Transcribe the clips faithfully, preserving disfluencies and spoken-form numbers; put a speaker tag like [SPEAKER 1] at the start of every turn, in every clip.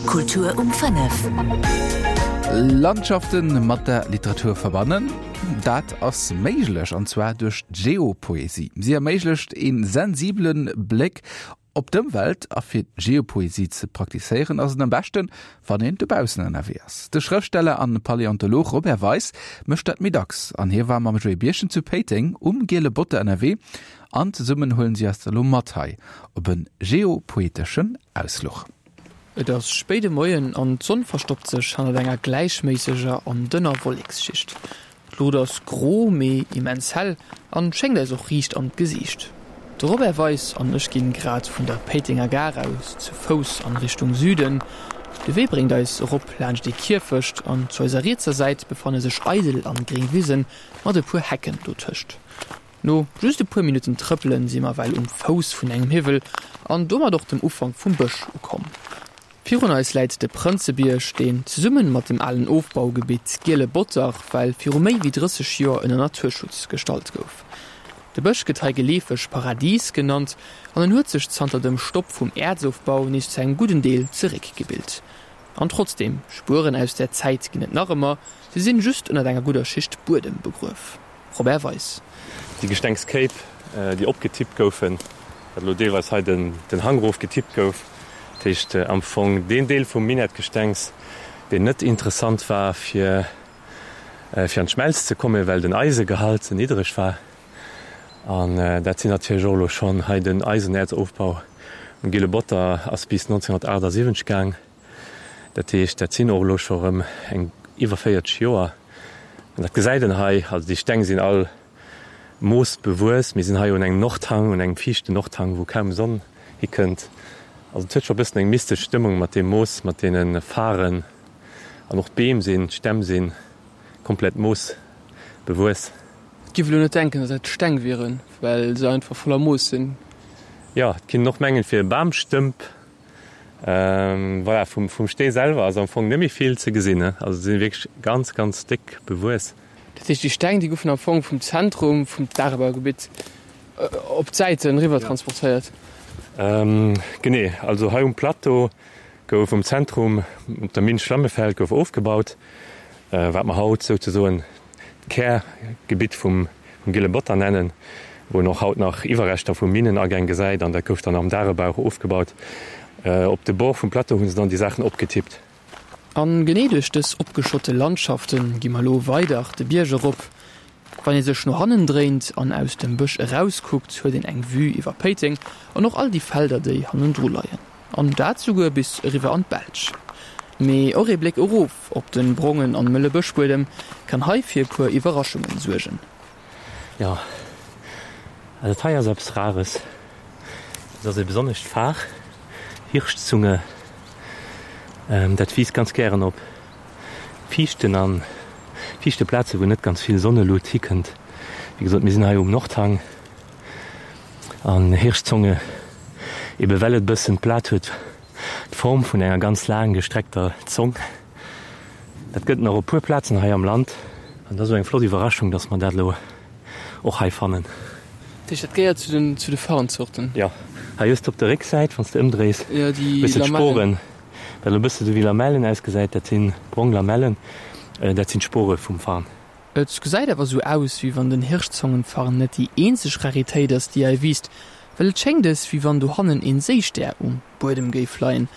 [SPEAKER 1] Kultur um fënnef.
[SPEAKER 2] Landschaften mat der Literatur verbannen, dat ass méiglech, an zwar duerch d'Geopoesie. Si erméiglecht een sensibelen Bléck op d'Ëmwelt a fir Geopoesie ze praktizéieren ass et am beschten, wann een dobaussen ënnerwee ass. De Schrëftsteller an Paläontolog Robert Weis mécht dat méi dacks an hie war mam Joé Birchen zu Péiteng um Giele Botter ënnerwee an zesummen huelen si eis elo mat hei op en geopoeteschen Ausfluch.
[SPEAKER 3] Et ass spéide Moien an d'Sonn verstoppt sech hannert enger gläichméisseger an dënner Wolleksschicht. D'Luucht ass gro, mee immens hell an schéngt eis och riicht an d'Gesiicht. De Robert Weis an ech ginn grad vun der Péitenger Gare aus zu Fouss an Richtung Süden. De Wee bréngt eis erop laanscht ee Kierfecht an zu eiser rietser Säit befanne sech eidel an gréng Wisen mat e puer Hecken dotëscht. No just e puer Minutten Trëppelen si mer well um Fouss vun engem Hiwwel an domat och dem Ufank vum Bësch ukomm. Virun eis läit de Prënzebierg, deen zesummen mat dem alen Ofbaugebitt Giele Botter well viru méi wéi drësseg Joer ënner Naturschutz gestallt gouf. De Bësch gëtt hei geleefeg Paradies genannt an en huet sech zanter dem Stopp vum Äerzofbau nees zu engem gudden Deel zeréckgebilt. An trotzdeem, Spueren aus där Zäit ginn et nach ëmmer, se sinn just ënnert enger gudder Schicht Buedem begruef. Robert Weis.
[SPEAKER 4] Déi Gestengsskéip, déi opgetippt goufen, wat elo deelweis hei den Hang erof getippt gouf, dat heescht am Fong deen Deel vum Minettgestengs, deen net interessant war fir fir an d'Schmelz ze kommen, well den Eisegehalt ze niddereg war. An dat sinn natierlech och elo schonn hei den Eisenäerzofbau um Gille Botter ass bis nonzénhunnertaachtsiwwenzeg gaang. Dat heescht, dat sinn och elo scho rëm eng iwwer véierzeg Joer. An dat gesäit een hei, also déi Steng sinn all moosbewuess. Mir sinn hei un engem Nordhang, un engem fiichten Nordhang, wou kaum Sonn hikënnt. Also et huet scho e bëssen eng mystesch Stëmmung mat deem Moos, mat deene Faren. An och d'Beem sinn, d'Stämm si komplett moosbewuess.
[SPEAKER 3] Et giff elo net denken, datt dat Steng wieren, well se einfach voller Moos sinn.
[SPEAKER 4] Jo, et kinnt een och mengen, et wier e Bamstëmp. Voilà, vum, vum Stee selwer ass am Fong net méi vill ze gesinn, ne? Also se si wierklech ganz, ganz déck bewuess.
[SPEAKER 3] Dat heescht, déi Steng, déi goufen am Fong vum Zentrum vum Dagebaugebitt op d'Säiten eriwwer transportéiert?
[SPEAKER 4] Genee, also hei um Plateau gouf um Zentrum op der Minn Schlammefeld gouf ofgebaut, wat mer haut souzesoen d'Kärgebitt vum Gille Botter nennen, wou een och haut nach Iwwerreschter vu Minnenagäng gesäit, an dat gouf dann am Dagebau ofgebaut. Op de Bord vum Plateau hu se dann déi Saachen opgetippt.
[SPEAKER 3] An genee duerch dës opgeschotte Landschafte gi mer elo weider de Bierg erop. Wann ee sech no hannen dréint an aus dem Bësch erauskuckt, huet een eng Vue iwwer Péiteng an och all déi Felder, déi hannendru leien. An dat souguer bis eriwwer an d'Belsch. Mee och ee Bléck erof op de brongen an mëlle Bëschbuedem kann hei fir e puer Iwwerraschungen suergen.
[SPEAKER 4] Jo, also dat hei ass eppes Rares. Dat ass e besonnescht Far, Hirschzunge. Dat wiisst ganz gären op fiichten an fiichte Plaze wou net ganz vill Sonnelut hikënnt. Wéi gesot, mir sinn hei um Nordhang an Hirschzonge, ebe well et e bëssen d'Blat huet d'Form vun enger ganz laang gestreckter Zong. Dat gëtt nach op puer Plazen hei am Land an dat ass elo eng flott Iwwerraschung, dass mer dat elo och hei fannen.
[SPEAKER 3] Dat heescht, dat gehéiert zu den zu de Farnzorten?
[SPEAKER 4] Jo, hei hues de op der Récksäit, wann s de ëmdréis,
[SPEAKER 3] Jo, déi
[SPEAKER 4] hues de
[SPEAKER 3] Lamellen.
[SPEAKER 4] d'Sporen, wat elo e bësse sou wéi Lamellen ausgesäit, dat si brong Lamellen, dat sinn d'Spore vum Farn.
[SPEAKER 3] Et gesäit awer sou aus, wéi wann den Hirschzongenfarn net déi eenzeg Raritéit ass, déi hei wiisst, well et schéngt es, wéi wann dohannen een Séistär um Buedem géif leien.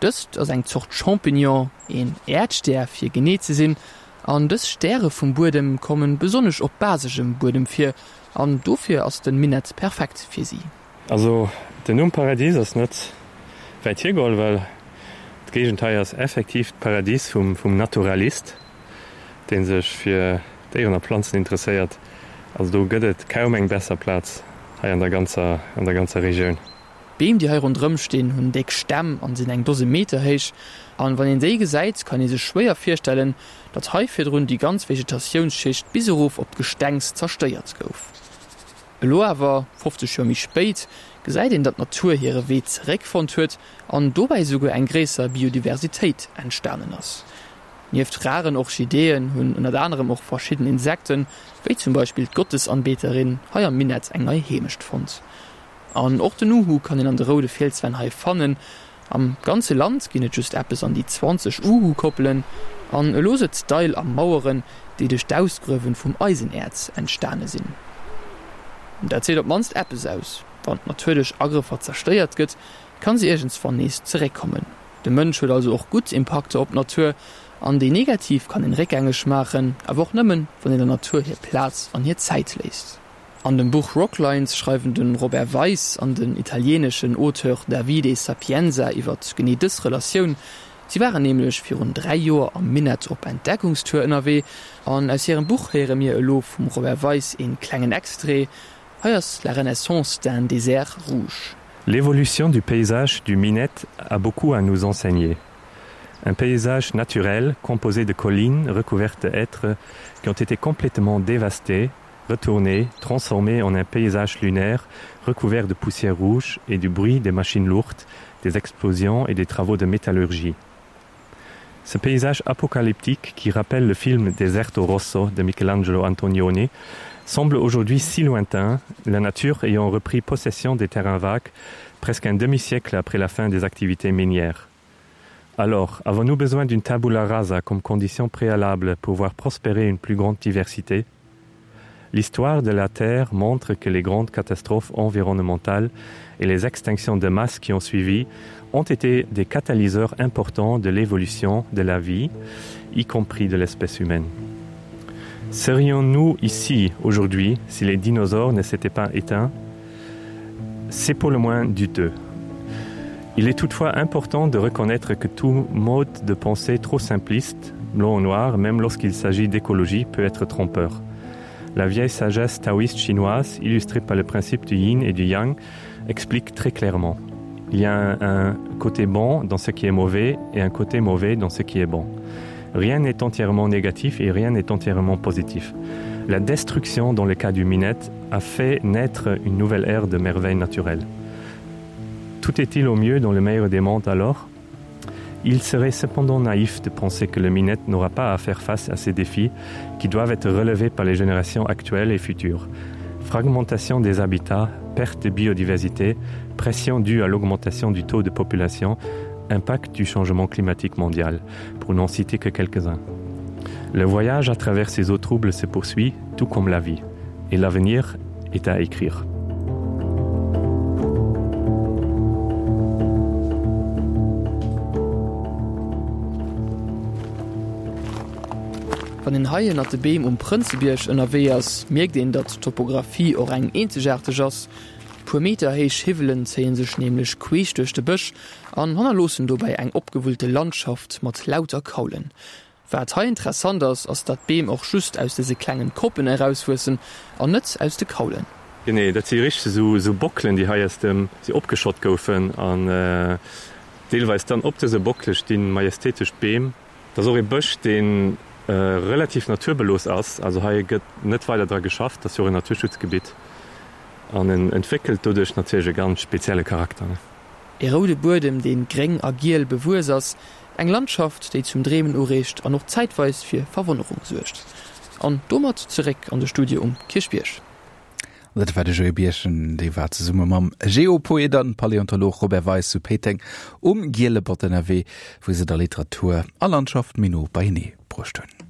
[SPEAKER 3] Dëst ass eng Zort Champignon, een Äerdstär fir genee ze sinn, an dës Stäre vum Buedem kommen besonnesch op basegem Buedem vir, an dofir ass den Minett perfekt fir si.
[SPEAKER 4] Also den Numm Paradies ass net wäit hiergeholl, well d'Géigend hei ass effektiv d'Paradies vum Naturalist, dee sech fir Déieren a Planzen interesséiert. Also do gëtt et kaum eng besser Plaz hei an der ganzer an der ganzer Regioun.
[SPEAKER 3] D'Beem déi hei ronderëm stinn hunn déck Stämm an sinn eng Dose Meter héich. An wann een déi gesäit, kann ee sech schwéier virstellen, datt hei virdrun déi ganz Vegetatiounsschicht bis erof op d'Gestengs zerstéiert gouf. Elo awer, fofzeg Joer méi spéit, gesäit een, datt d'Natur hire Wee zeréckfonnt huet an dobäi souguer eng gréisser Biodiversitéit entstanen ass. Nieft raren Orchideeën hunn ënnert anerem och verschidden Insekten, wéi zum Beispill d'Gottesanbeterin, hei am Minett eng nei Heemecht fonnt. An och den Uhu kann een an de roude Fielswänn hei fannen. Am ganze Land ginn et just eppes an déi zwanzeg Uhu-Koppelen, an elo sëtzt d'Eil a Maueren, déi duerch d'Ausgruewen vum Eisenäerz entstane sinn. Dat seet op d'mannst eppes aus, Wann d'Natur duerch Agrëffer zerstéiert gëtt, kann se iergendswann nees zeréckkommen. De Mënsch huet also och gutt Impakter op d'Natur, an déi negativ kann een réckgängeg maachen, awer och nëmmen, wann een der Natur hir Plaz an hir Zäit léisst. An dem Buch Rocklines schreiwen de Robert Weiss an den italieneschen Auteur Davide Sapienza iwwer genee dës Relatioun. Si waren nämlech virun dräi Joer am Minett op Entdeckungstour ënnerwee an aus hirem Buch héiere mir elo vum Robert Weiss een klengen Extrait. Hei ass La renaissance d'un désert rouge.
[SPEAKER 4] L'évolution du paysage du Minett a beaucoup à nous enseigner. Un paysage naturel composé de collines recouvertes de hêtres qui ont été complètement dévastées, retournées, transformées en un paysage lunaire recouvert de poussière rouge et du bruit des machines lourdes, des explosions et des travaux de métallurgie. Ce paysage apocalyptique qui rappelle le film Deserto Rosso de Michelangelo Antonioni semble aujourd'hui si lointain, la nature ayant repris possession des terrains vagues presque un demi-siècle après la fin des activités minières. Alors, avons-nous besoin d'une tabula rasa comme condition préalable pour voir prospérer une plus grande diversité? L'histoire de la Terre montre que les grandes catastrophes environnementales et les extinctions de masse qui ont suivi ont été des catalyseurs importants de l'évolution de la vie, y compris de l'espèce humaine. Serions-nous ici aujourd'hui si les dinosaures ne s'étaient pas éteints? C'est pour le moins douteux. Il est toutefois important de reconnaître que tout mode de pensée trop simpliste, blanc ou noir, même lorsqu'il s'agit d'écologie, peut être trompeur. La vieille sagesse taoïste chinoise, illustrée par le principe du yin et du yang, explique très clairement. Il y a un, un côté bon dans ce qui est mauvais et un côté mauvais dans ce qui est bon. Rien n'est entièrement négatif et rien n'est entièrement positif. La destruction dans le cas du minette a fait naître une nouvelle ère de merveilles naturelles. Tout est-il au mieux dans le meilleur des mondes alors? Il serait cependant naïf de penser que le minette n'aura pas à faire face à ces défis qui doivent être relevés par les générations actuelles et futures. Fragmentation des habitats, perte de biodiversité, pression due à l'augmentation du taux de population, impact du changement climatique mondial, pour n'en citer que quelques-uns. Le voyage à travers ces eaux troubles se poursuit, tout comme la vie, et l'avenir est à écrire.
[SPEAKER 3] Wann een hei ënnert de Beem um Prënzebierg ënnerwee ass, mierkt een, datt d'Topographie och eng eenzegaarteg ass. Puer Meter héich Hiwwelen zéie sech nämlech queesch duerch de Bësch an hannerloossen dobäi eng opgewullte Landschaft mat lauter Kaulen. Wat hei interessant ass, ass datt d'Beem och just aus dëse klengen Koppen erauswuessen an net aus de Kaulen.
[SPEAKER 4] Genee, dat si richteg esou esou Bockelen, déi hei aus dem si opgeschott goufen an deelweis dann op dëse Bockele stinn majestätesch Beem. Dat ass och ee Bësch, dee relativ naturbelooss ass. Also hei gëtt net weider dra geschafft, dat ass jo och en Naturschutzgebitt an en entwéckelt doduerch natierlech e ganz spezielle Charakter.
[SPEAKER 3] E roude Buedem, dee gréng a giel bewuess ass, eng Landschaft, déi zum Dreemen ureegt an och zäitweis fir Verwonnerung suergt. An domat zeréck an de Studio um Kierchbierg.
[SPEAKER 2] Dat war de Joé Birchen, dee war zesumme mam Geopoet an Paläontolog Robert Weis zu Péiteng um Giele Bott ënnerwee, wou se da Literatur a Landschaft méi no beienee bruecht hunn.